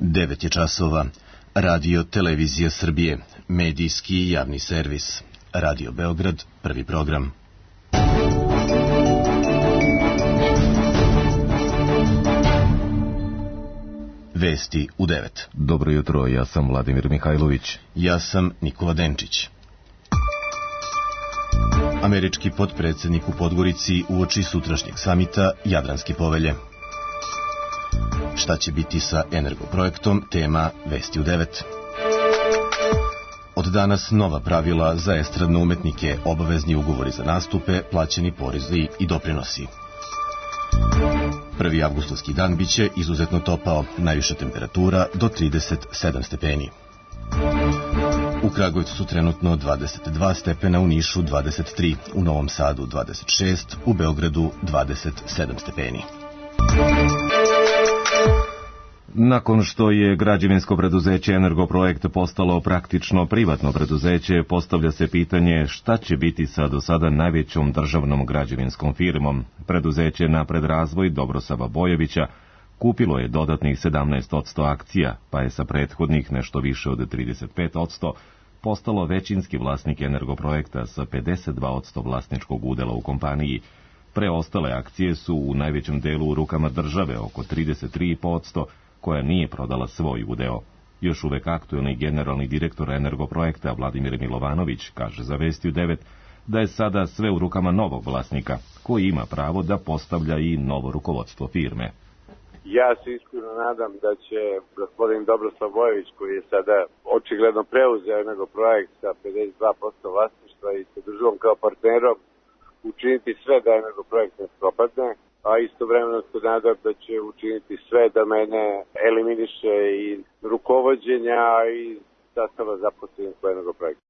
9 je časova. Radio Televizija Srbije, medijski javni servis. Radio Beograd, prvi program. Vesti u 9. Dobro jutro, ja sam Vladimir Mihajlović. Ja sam Nikola Denčić. Američki potpredsjednik u Podgorici uoči sutrašnjeg samita Jadranske povelje. Šta će biti sa energoprojektom, tema Vesti u 9. Od danas nova pravila za estradne umetnike, obavezni ugovori za nastupe, plaćeni porezi i doprinosi. 1. avgustovski dan biće izuzetno topao, najviša temperatura do 37 stepeni. U Kragujevcu su trenutno 22 stepena, u Nišu 23, u Novom Sadu 26, u Beogradu 27 stepeni. Nakon što je građevinsko preduzeće Energoprojekt postalo praktično privatno preduzeće, postavlja se pitanje šta će biti sa do sada najvećom državnom građevinskom firmom. Preduzeće Napred razvoj Dobrosava Bojovića kupilo je dodatnih 17% akcija, pa je sa prethodnih nešto više od 35% postalo većinski vlasnik Energoprojekta sa 52% vlasničkog udela u kompaniji. Preostale akcije su u najvećem delu u rukama države, oko 33%, koja nije prodala svoj udeo. Još uvek aktuelni generalni direktor Energoprojekta Vladimir Milovanović kaže za Vesti u 9 da je sada sve u rukama novog vlasnika, koji ima pravo da postavlja i novo rukovodstvo firme. Ja se iskreno nadam da će gospodin Dobroslav Bojović, koji je sada očigledno preuzeo Energoprojekt sa 52% vlasništva i sa državom kao partnerom, učiniti sve da Energoprojekt ne propadne, a istovremeno se nadam da će učiniti sve da mene eliminiše i rukovođenja i sastava zaposlenih u Energoprojektu.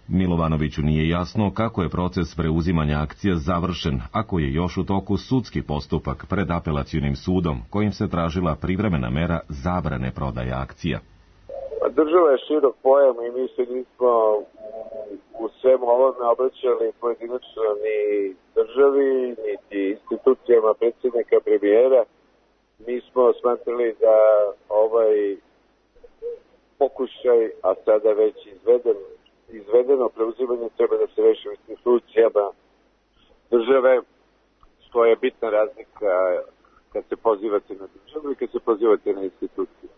Milovanoviću nije jasno kako je proces preuzimanja akcija završen, ako je još u toku sudski postupak pred apelacionim sudom, kojim se tražila privremena mera zabrane prodaje akcija. Država je širok pojam i mi se nismo u svemu ovome obraćali pojedinačno ni državi, niti institucijama predsjednika premijera. Mi smo smatrali da ovaj pokušaj, a sada već izvedeno preuzimanje treba da se reši u institucijama države, što je bitna razlika kad se pozivate na državu i kad se pozivate na institucije.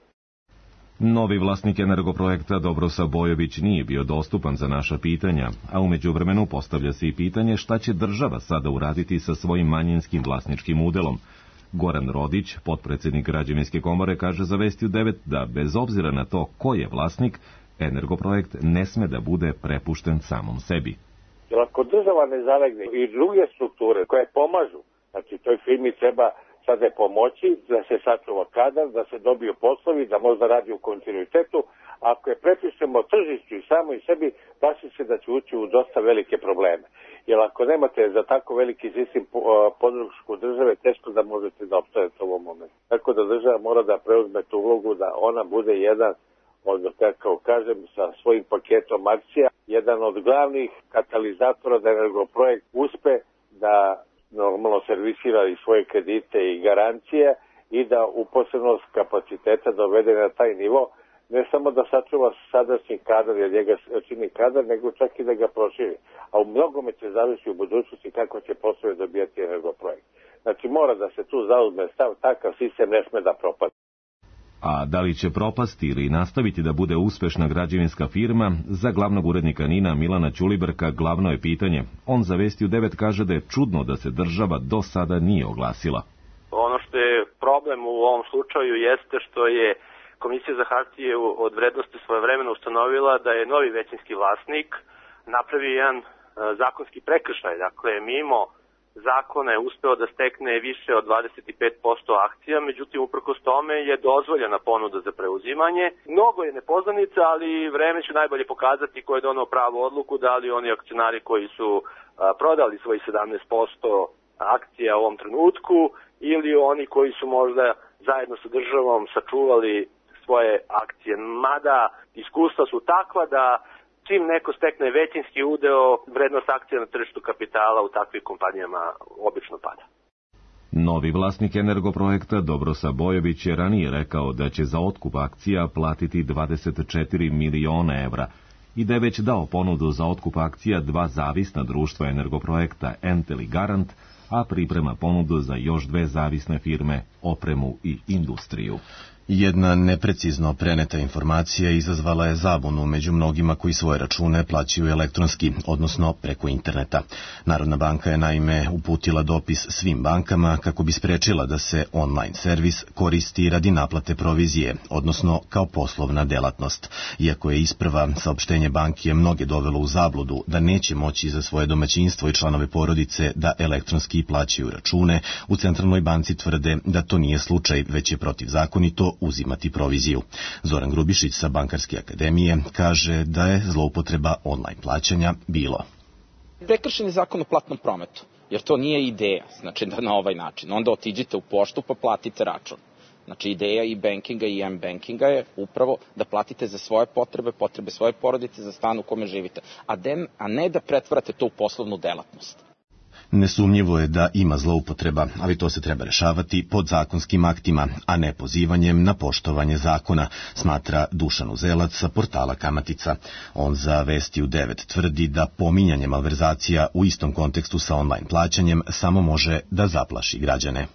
Novi vlasnik Energoprojekta Dobrosav Bojović nije bio dostupan za naša pitanja, a u međuvremenu postavlja se i pitanje šta će država sada uraditi sa svojim manjinskim vlasničkim udelom. Goran Rodić, potpredsjednik Građevinske komore, kaže za Vesti u 9 da bez obzira na to ko je vlasnik, Energoprojekt ne sme da bude prepušten samom sebi. Jer ako država ne zalegne i druge strukture koje pomažu, znači toj firmi treba sada je pomoći da se sačuva kadar, da se dobiju poslovi, da možda radi u kontinuitetu. Ako je prepišemo tržišću i samo i sebi, plaši se da će ući u dosta velike probleme. Jer ako nemate za tako veliki sistem podršku države, teško da možete da opstajete u ovom momentu. Tako da država mora da preuzme tu ulogu, da ona bude jedan od, kako kažem, sa svojim paketom akcija, jedan od glavnih katalizatora da Energoprojekt uspe da normalno servisira i svoje kredite i garancije i da uposlenost kapaciteta dovede na taj nivo, ne samo da sačuva sadašnji kadar, jer njega čini kadar, nego čak i da ga proširi. A u mnogome će zavisiti u budućnosti kako će poslove dobijati Energoprojekt. Znači mora da se tu zauzme stav, takav sistem ne sme da propadne. A da li će propasti ili nastaviti da bude uspešna građevinska firma, za glavnog urednika NIN-a Milana Ćulibrka glavno je pitanje. On za Vesti u 9 kaže da je čudno da se država do sada nije oglasila. Ono što je problem u ovom slučaju jeste što je Komisija za hartije od vrednosti svojevremeno ustanovila da je novi većinski vlasnik napravio jedan zakonski prekršaj. Dakle, mimo zakona je uspeo da stekne više od 25% akcija, međutim uprkos tome je dozvoljena ponuda za preuzimanje. Mnogo je nepoznanica, ali vreme će najbolje pokazati ko je donao pravu odluku, da li oni akcionari koji su prodali svoji 17% akcija u ovom trenutku ili oni koji su možda zajedno sa državom sačuvali svoje akcije. Mada iskustva su takva da čim neko stekne većinski udeo, vrednost akcija na tržištu kapitala u takvim kompanijama obično pada. Novi vlasnik Energoprojekta Dobrosa Bojović je ranije rekao da će za otkup akcija platiti 24 miliona evra i da je već dao ponudu za otkup akcija 2 zavisna društva Energoprojekta Entel i Garant, a priprema ponudu za još 2 zavisne firme, Opremu i Industriju. Jedna neprecizno preneta informacija izazvala je zabunu među mnogima koji svoje račune plaćaju elektronski, odnosno preko interneta. Narodna banka je naime uputila dopis svim bankama kako bi sprečila da se online servis koristi radi naplate provizije, odnosno kao poslovna delatnost. Iako je isprva saopštenje banke mnoge dovelo u zabludu da neće moći za svoje domaćinstvo i članove porodice da elektronski plaćaju račune, u Centralnoj banci tvrde da to nije slučaj, već je protivzakonito uzimati proviziju. Zoran Grubišić sa Bankarske akademije kaže da je zloupotreba online plaćanja bilo. Prekršen je zakon o platnom prometu, jer to nije ideja, znači da na ovaj način. Onda otiđite u poštu pa platite račun. Znači ideja i bankinga i m-bankinga je upravo da platite za svoje potrebe, potrebe svoje porodice, za stan u kome živite, a ne da pretvarate to u poslovnu delatnost. Nesumnjivo je da ima zloupotreba, ali to se treba rešavati podzakonskim aktima, a ne pozivanjem na poštovanje zakona, smatra Dušan Uzelac sa portala Kamatica. On za Vesti u 9 tvrdi da pominjanje malverzacija u istom kontekstu sa online plaćanjem samo može da zaplaši građane.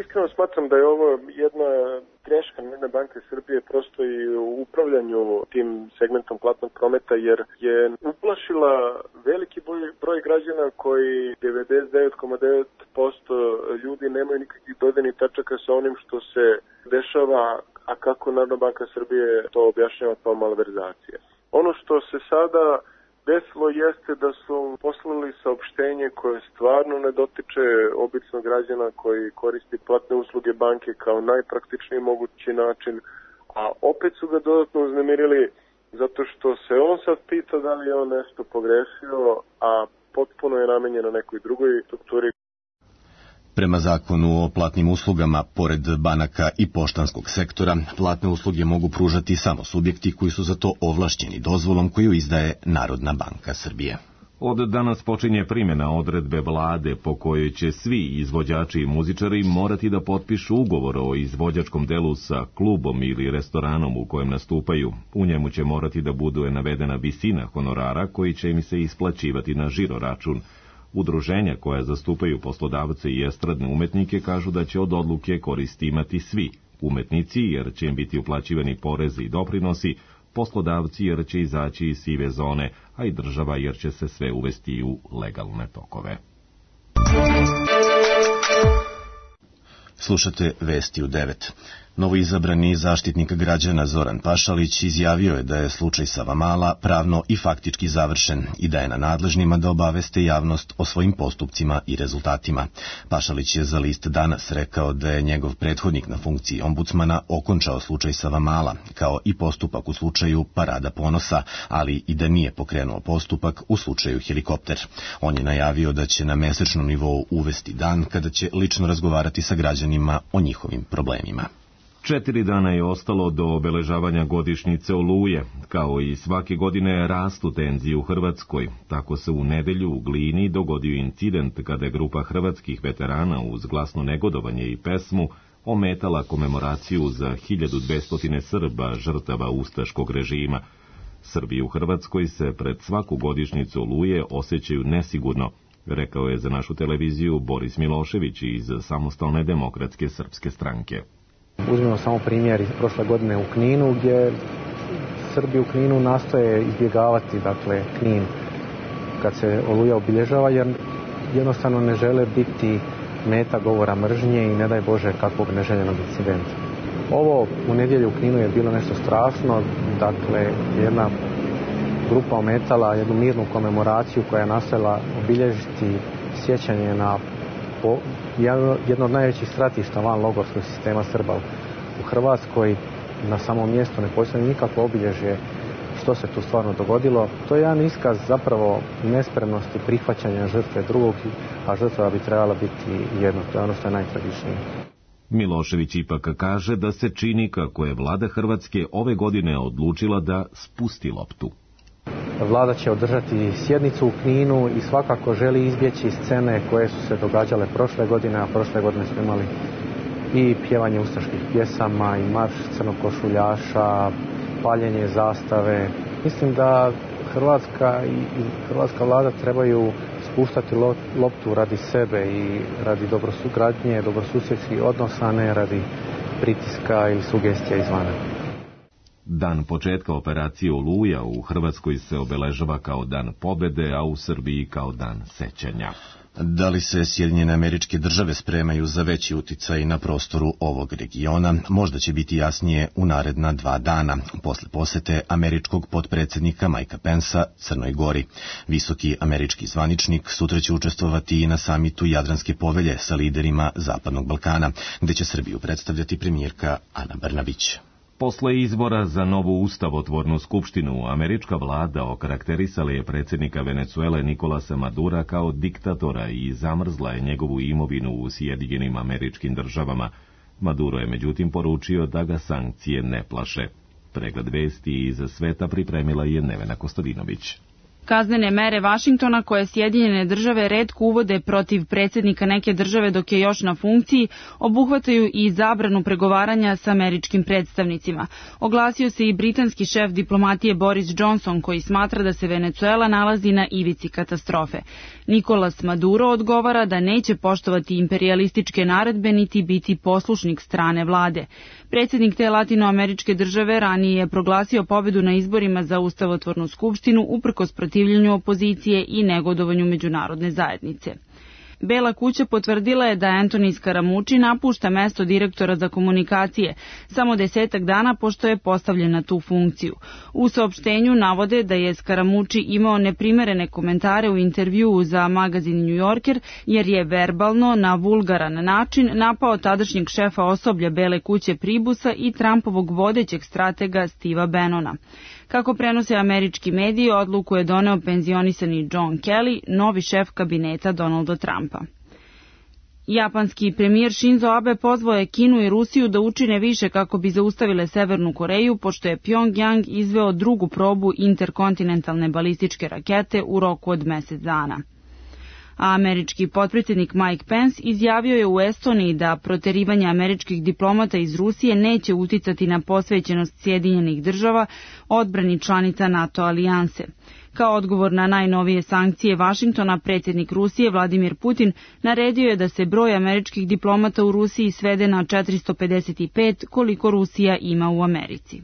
Iskreno smatram da je ovo jedna greška Narodne banke Srbije prosto i u upravljanju tim segmentom platnog prometa, jer je uplašila veliki broj građana koji 99,9% ljudi nemaju nikakvih dodirnih tačaka sa onim što se dešava, a kako Narodna banka Srbije to objašnjava kao malverzacija. Ono što se sada desilo jeste da su poslali saopštenje koje stvarno ne dotiče običnog građana koji koristi platne usluge banke kao najpraktičniji mogući način, a opet su ga dodatno uznemirili zato što se on sad pita da li je on nešto pogrešio, a potpuno je namenjeno nekoj drugoj strukturi. Prema zakonu o platnim uslugama, pored banaka i poštanskog sektora, platne usluge mogu pružati samo subjekti koji su za to ovlašćeni dozvolom koju izdaje Narodna banka Srbije. Od danas počinje primjena odredbe vlade po kojoj će svi izvođači i muzičari morati da potpišu ugovor o izvođačkom delu sa klubom ili restoranom u kojem nastupaju. U njemu će morati da bude navedena visina honorara koji će im se isplaćivati na žiro račun. Udruženja koja zastupaju poslodavce i estradne umetnike kažu da će od odluke koristi imati svi umetnici jer će im biti uplaćivani porezi i doprinosi, poslodavci jer će izaći iz sive zone, a i država jer će se sve uvesti u legalne tokove. Slušate Vesti u 9. Novoizabrani zaštitnik građana Zoran Pašalić izjavio je da je slučaj Savamala pravno i faktički završen i da je na nadležnima da obaveste javnost o svojim postupcima i rezultatima. Pašalić je za list Danas rekao da je njegov prethodnik na funkciji ombudsmana okončao slučaj Savamala, kao i postupak u slučaju Parada ponosa, ali i da nije pokrenuo postupak u slučaju Helikopter. On je najavio da će na mesečnom nivou uvesti dan kada će lično razgovarati sa građanima o njihovim problemima. 4 dana je ostalo do obeležavanja godišnjice Oluje. Kao i svake godine rastu tenzije u Hrvatskoj. Tako se u nedelju u Glini dogodio incident kada je grupa hrvatskih veterana uz glasno negodovanje i pesmu ometala komemoraciju za 1200 Srba žrtava ustaškog režima. Srbi u Hrvatskoj se pred svaku godišnjicu Oluje osjećaju nesigurno, rekao je za našu televiziju Boris Milošević iz Samostalne demokratske srpske stranke. Uzmimo samo primjer iz prošle godine u Kninu, gdje Srbi u Kninu nastoje izbjegavati, Knin kad se Oluja obilježava, jer jednostavno ne žele biti meta govora mržnje i ne daj Bože kakvog neželjenog incidenta. Ovo u nedjelju u Kninu je bilo nešto strašno, jedna grupa ometala jednu mirnu komemoraciju koja je nastojala obilježiti sjećanje na jedno od najvećih stratišta van logorskog sistema Srba u Hrvatskoj. Na samom mjestu ne postoji nikakvo obilježje što se tu stvarno dogodilo. To je jedan iskaz zapravo nespremnosti prihvaćanja žrtve drugog, a žrtva bi trebala biti jedno. To je ono što je najtragičnije. Milošević ipak kaže da se čini kako je vlada Hrvatske ove godine odlučila da spusti loptu. Vlada će održati sjednicu u Kninu i svakako želi izbjeći scene koje su se događale prošle godine, a prošle godine smo imali i pjevanje ustaških pjesama i marš crnokošuljaša, paljenje zastave. Mislim da Hrvatska i hrvatska vlada trebaju spuštati loptu radi sebe i radi dobrosugradnje, dobrosusjedskih odnosa, ne radi pritiska ili sugestija izvana. Dan početka operacije Oluja u Hrvatskoj se obeležava kao dan pobjede, a u Srbiji kao dan sećanja. Da li se Sjedinjene Američke Države spremaju za veći uticaj na prostoru ovog regiona, možda će biti jasnije u naredna 2 dana, posle posete američkog potpredsjednika Mikea Pensa Crnoj Gori. Visoki američki zvaničnik sutra će učestvovati i na samitu Jadranske povelje sa liderima Zapadnog Balkana, gde će Srbiju predstavljati premijerka Ana Brnabić. Posle izbora za novu ustavotvornu skupštinu, američka vlada okarakterisala je predsjednika Venecuele Nikolasa Madura kao diktatora i zamrzla je njegovu imovinu u Sjedinjenim Američkim Državama. Maduro je međutim poručio da ga sankcije ne plaše. Pregled vesti iz sveta pripremila je Nevena Kostadinović. Kaznene mere Vašingtona koje Sjedinjene Države retko uvode protiv predsjednika neke države dok je još na funkciji, obuhvataju i zabranu pregovaranja sa američkim predstavnicima. Oglasio se i britanski šef diplomatije Boris Johnson, koji smatra da se Venecuela nalazi na ivici katastrofe. Nicolas Maduro odgovara da neće poštovati imperijalističke naredbe niti biti poslušnik strane vlade. Predsjednik te latinoameričke države ranije je proglasio pobedu na izborima za ustavotvornu skupštinu uprkos protivljenju opozicije i negodovanju međunarodne zajednice. Bela kuća potvrdila je da Anthony Scaramucci napušta mesto direktora za komunikacije, samo 10 dana pošto je postavljen na tu funkciju. U saopštenju navode da je Scaramucci imao neprimerene komentare u intervjuu za magazin New Yorker, jer je verbalno, na vulgaran način, napao tadašnjeg šefa osoblja Bele kuće Pribusa i Trumpovog vodećeg stratega Steva Bannona. Kako prenose američki mediji, odluku je doneo penzionisani John Kelly, novi šef kabineta Donalda Trumpa. Japanski premijer Shinzo Abe pozvao je Kinu i Rusiju da učine više kako bi zaustavile Severnu Koreju, pošto je Pjongjang izveo drugu probu interkontinentalne balističke rakete u roku od mjesec dana. A američki potpredsjednik Mike Pence izjavio je u Estoniji da proterivanje američkih diplomata iz Rusije neće uticati na posvećenost Sjedinjenih Država odbrani članica NATO alijanse. Kao odgovor na najnovije sankcije Vašingtona, predsjednik Rusije Vladimir Putin naredio je da se broj američkih diplomata u Rusiji svede na 455, koliko Rusija ima u Americi.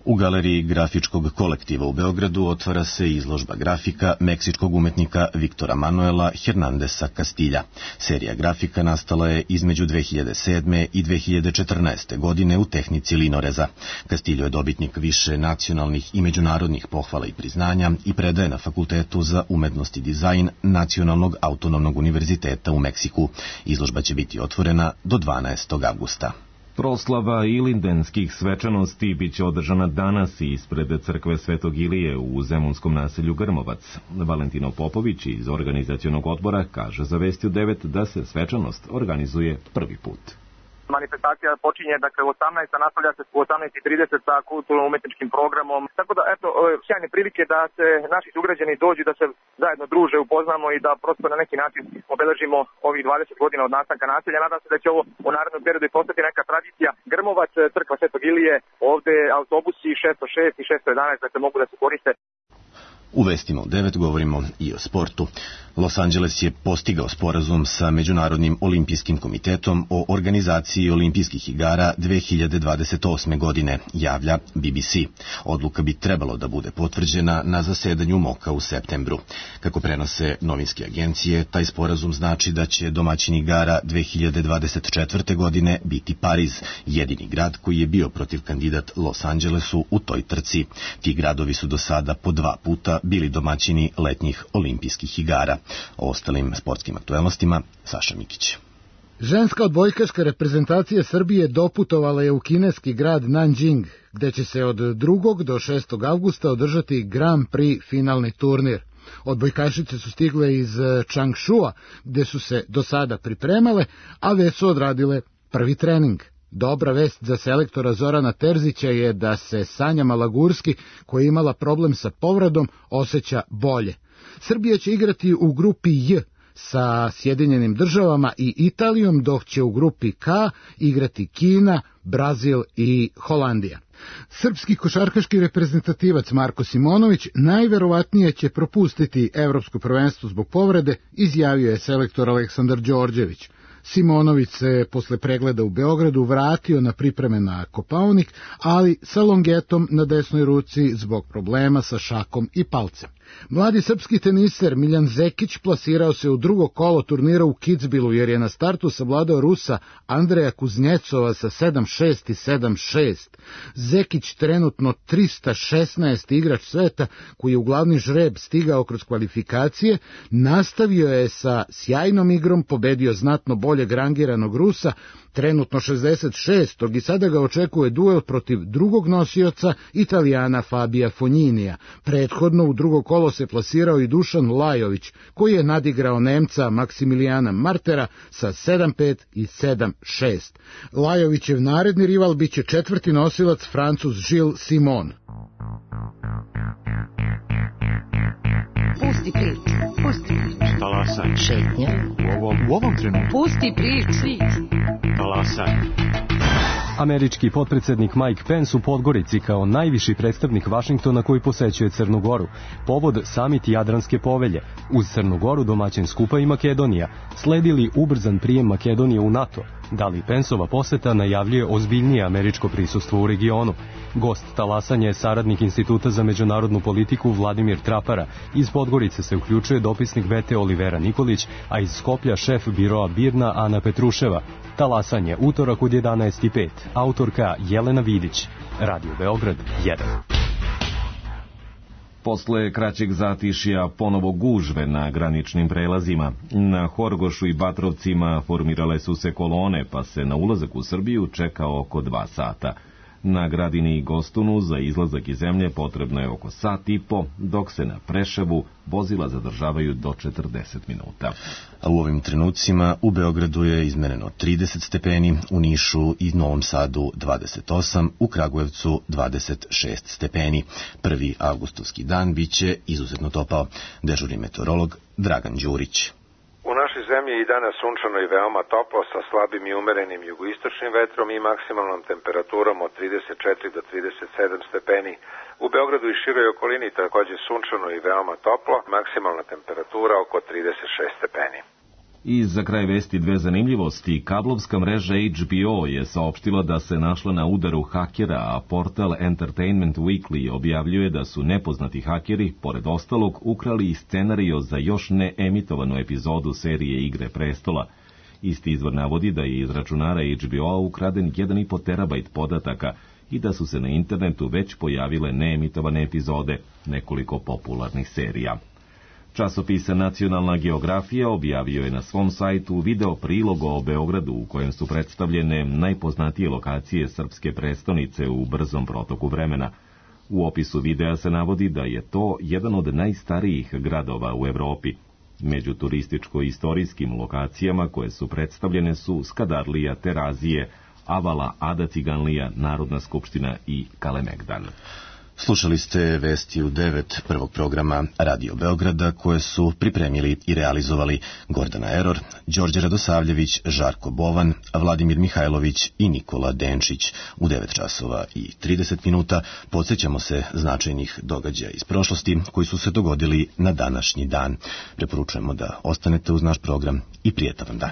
U galeriji grafičkog kolektiva u Beogradu otvara se izložba grafika meksičkog umetnika Viktora Manuela Hernandesa Castilja. Serija grafika nastala je između 2007. i 2014. godine u tehnici linoreza. Castillo je dobitnik više nacionalnih i međunarodnih pohvala i priznanja i predaje na Fakultetu za umetnost i dizajn Nacionalnog autonomnog univerziteta u Meksiku. Izložba će biti otvorena do 12. avgusta. Proslava ilindenskih svečanosti biće održana danas ispred crkve Svetog Ilije u zemunskom naselju Grmovac. Valentino Popović iz organizacionog odbora kaže za Vesti u 9 da se svečanost organizuje prvi put. Manifestacija počinje dakle u 18, nastavlja se u 18:30 sa kulturno-umetničkim programom. Tako da eto sjajne prilike da se naši sugrađani dođu, da se zajedno druže, upoznamo i da prosto na neki način obeležimo ovih 20 godina od nastanka naselja. Nadam se da će ovo u narednom periodu i postati neka tradicija. Grmovac, crkva Svetog Ilije, ovde autobusi 606 i 611 dakle mogu da se koriste. U Vestima u 9 govorimo i o sportu. Los Angeles je postigao sporazum sa Međunarodnim olimpijskim komitetom o organizaciji olimpijskih igara 2028. godine, javlja BBC. Odluka bi trebalo da bude potvrđena na zasedanju MOKA u septembru. Kako prenose novinske agencije, taj sporazum znači da će domaćin igara 2024. godine biti Pariz, jedini grad koji je bio protiv kandidat Los Angelesu u toj trci. Ti gradovi su do sada po 2 puta bili domaćini letnjih olimpijskih igara. O ostalim sportskim aktuelnostima Saša Mikić. Ženska odbojkaška reprezentacija Srbije doputovala je u kineski grad Nanjing, gde će se od 2. do 6. avgusta održati Grand Prix finalni turnir. Odbojkašice su stigle iz Changshua, gde su se do sada pripremale, a već su odradile prvi trening. Dobra vest za selektora Zorana Terzića je da se Sanja Malagurski, koja je imala problem sa povredom, osjeća bolje. Srbija će igrati u grupi J sa Sjedinjenim Državama i Italijom, dok će u grupi K igrati Kina, Brazil i Holandija. Srpski košarkaški reprezentativac Marko Simonović najverovatnije će propustiti evropsko prvenstvo zbog povrede, izjavio je selektor Aleksandar Đorđević. Simonović se posle pregleda u Beogradu vratio na pripreme na Kopaonik, ali sa longetom na desnoj ruci zbog problema sa šakom i palcem. Mladi srpski teniser Miljan Zekić plasirao se u drugo kolo turnira u Kitzbühelu jer je na startu savladao Rusa Andreja Kuznjecova sa 7-6 i 7-6. Zekić trenutno 316. igrač sveta koji je u glavni žreb stigao kroz kvalifikacije, nastavio je sa sjajnom igrom, pobedio znatno boljeg rangiranog Rusa, trenutno 66. i sada ga očekuje duel protiv drugog nosioca Italijana Fabija Fogninija. Prethodno u drugo kolo se plasirao i Dušan Lajović, koji je nadigrao Nemca Maksimilijana Martera sa 7-5 i 7-6. Lajovićev naredni rival biće četvrti nosilac Francuz Gilles Simon. Pusti priču, pusti priču. Talasaj. Šetnja. U ovom trenutku. Pusti priču. Talasaj. Američki potpredsednik Mike Pence u Podgorici kao najviši predstavnik Vašingtona koji posećuje Crnu Goru. Povod samit Jadranske povelje. Uz Crnu Goru domaćin skupa i Makedonija. Sledili ubrzan prijem Makedonije u NATO. Da li Penceova poseta najavljuje ozbiljnije američko prisustvo u regionu? Gost talasanja je saradnik Instituta za međunarodnu politiku Vladimir Trapara. Iz Podgorice se uključuje dopisnik VT Olivera Nikolić, a iz Skoplja šef biroa Birna Ana Petruševa. Talasanje, utorak od 11:05. Autorka Jelena Vidić. Radio Beograd 1. Posle kraćeg zatišja ponovo gužve na graničnim prelazima. Na Horgošu i Batrovcima formirale su se kolone, pa se na ulazak u Srbiju čeka oko 2 sata. Na Gradini i Gostunu za izlazak iz zemlje potrebno je oko sat i po, dok se na Preševu vozila zadržavaju do 40 minuta. A u ovim trenucima u Beogradu je izmereno 30 stepeni, u Nišu i Novom Sadu 28, u Kragujevcu 26 stepeni. 1. avgustovski dan biće izuzetno topao. Dežurni meteorolog Dragan Đurić. U našoj zemlji je i danas sunčano i veoma toplo sa slabim i umerenim jugoistočnim vetrom i maksimalnom temperaturom od 34 do 37 stepeni. U Beogradu i široj okolini takođe sunčano i veoma toplo, maksimalna temperatura oko 36 stepeni. I za kraj vesti 2 zanimljivosti. Kablovska mreža HBO je saopštila da se našla na udaru hakera, a portal Entertainment Weekly objavljuje da su nepoznati hakeri, pored ostalog, ukrali i scenario za još neemitovanu epizodu serije Igre prestola. Isti izvor navodi da je iz računara HBO-a ukraden 1,5 terabajt podataka i da su se na internetu već pojavile neemitovane epizode nekoliko popularnih serija. Časopis Nacionalna geografija objavio je na svom sajtu video prilog o Beogradu u kojem su predstavljene najpoznatije lokacije srpske prestonice u brzom protoku vremena. U opisu videa se navodi da je to jedan od najstarijih gradova u Evropi. Među turističko-istorijskim lokacijama koje su predstavljene su Skadarlija, Terazije, Avala, Ada Ciganlija, Narodna skupština i Kalemegdan. Slušali ste vesti u 9 prvog programa Radio Beograda koje su pripremili i realizovali Gordana Eror, Đorđe Radosavljević, Žarko Bovan, Vladimir Mihajlović i Nikola Denčić. U 9 časova i 30 minuta podsjećamo se značajnih događaja iz prošlosti koji su se dogodili na današnji dan. Preporučujemo da ostanete uz naš program i prijetan vam dan.